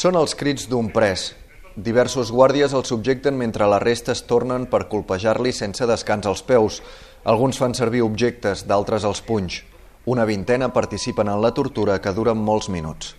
Són els crits d'un pres. Diversos guàrdies el subjecten mentre la resta es tornen per colpejar-li sense descans als peus. Alguns fan servir objectes, d'altres els punys. Una vintena participen en la tortura, que dura molts minuts.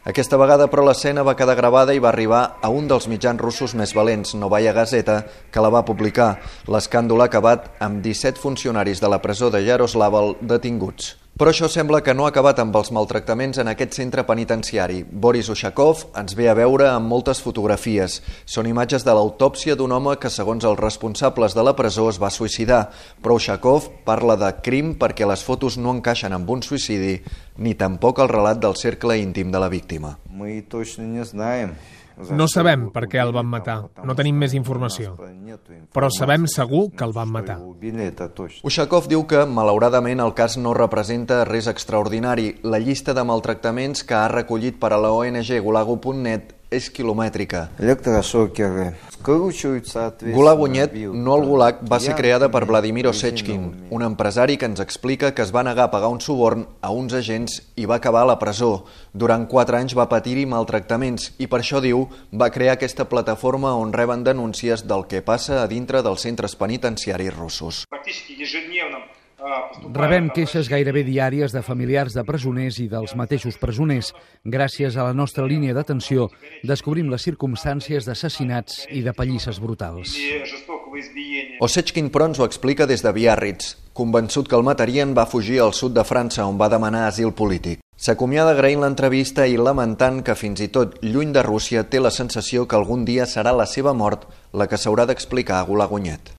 Aquesta vegada, però, l'escena va quedar gravada i va arribar a un dels mitjans russos més valents, Novaya Gazeta, que la va publicar. L'escàndol ha acabat amb 17 funcionaris de la presó de Yaroslaval detinguts. Però això sembla que no ha acabat amb els maltractaments en aquest centre penitenciari. Boris Ushakov ens ve a veure amb moltes fotografies. Són imatges de l'autòpsia d'un home que, segons els responsables de la presó, es va suïcidar. Però Ushakov parla de crim perquè les fotos no encaixen amb un suïcidi, ni tampoc el relat del cercle íntim de la víctima. No sabem per què el van matar, no tenim més informació, però sabem segur que el van matar. Ushakov diu que, malauradament, el cas no representa res extraordinari. La llista de maltractaments que ha recollit per a la ONG Gulagu.net és quilomètrica. Gulagu.net, no el Gulag, va ser creada per Vladimir Osechkin, un empresari que ens explica que es va negar a pagar un suborn a uns agents i va acabar a la presó. Durant 4 anys va patir-hi maltractaments i per això, diu, va crear aquesta plataforma on reben denúncies del que passa a dintre dels centres penitenciaris russos. Rebem queixes gairebé diàries de familiars de presoners i dels mateixos presoners. Gràcies a la nostra línia d'atenció descobrim les circumstàncies d'assassinats i de pallisses brutals. Osechkin, però, ens ho explica des de Biarritz. Convençut que el matarien, va fugir al sud de França, on va demanar asil polític. S'acomiada agraint l'entrevista i lamentant que, fins i tot lluny de Rússia, té la sensació que algun dia serà la seva mort la que s'haurà d'explicar a Gulagu.net.